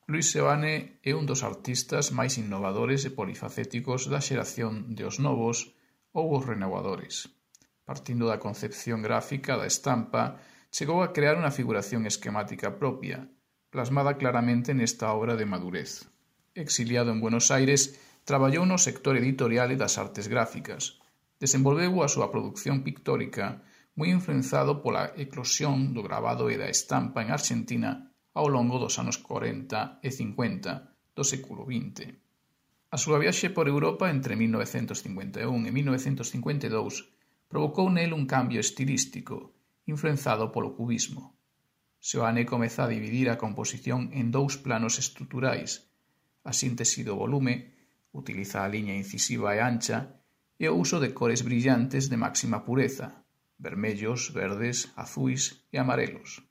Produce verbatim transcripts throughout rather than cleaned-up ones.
Luis Seoane é un dos artistas máis innovadores e polifacéticos da xeración de os novos ou os renovadores. Partindo da concepción gráfica da estampa, chegou a crear unha figuración esquemática propia, plasmada claramente nesta obra de madurez. Exiliado en Buenos Aires, traballou no sector editorial e das artes gráficas. Desenvolveu a súa produción pictórica moi influenzado pola eclosión do gravado e da estampa en Argentina ao longo dos anos corenta e cincuenta do século vinte. A súa viaxe por Europa entre mil novecentos cincuenta e un e mil novecentos cincuenta e dous provocou nel un cambio estilístico, influenzado polo cubismo. Seoane comeza a dividir a composición en dous planos estruturais, a síntese do volume, utiliza a liña incisiva e ancha, e o uso de cores brillantes de máxima pureza, vermellos, verdes, azuis e amarelos.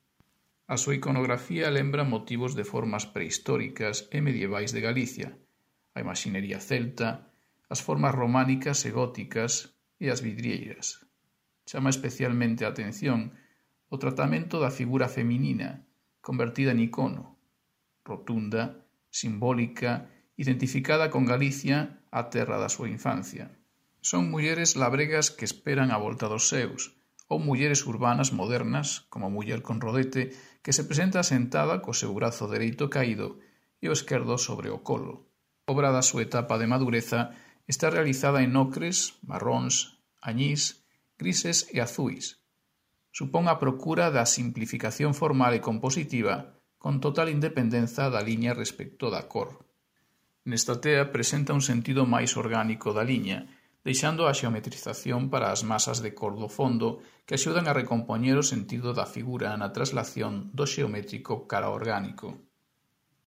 A súa iconografía lembra motivos de formas prehistóricas e medievais de Galicia, a imaxinería celta, as formas románicas e góticas e as vidrieiras. Chama especialmente a atención o tratamento da figura feminina, convertida en icono, rotunda, simbólica, identificada con Galicia, a terra da súa infancia. Son mulleres labregas que esperan a volta dos seus, ou mulleres urbanas modernas, como a muller con rodete, que se presenta sentada co seu brazo dereito caído e o esquerdo sobre o colo. A obra da súa etapa de madureza está realizada en ocres, marróns, añís, grises e azuis. Supón a procura da simplificación formal e compositiva con total independenza da liña respecto da cor. Nesta tea presenta un sentido máis orgánico da liña, deixando a xeometrización para as masas de cor do fondo que axudan a recompoñer o sentido da figura na traslación do xeométrico cara ao orgánico.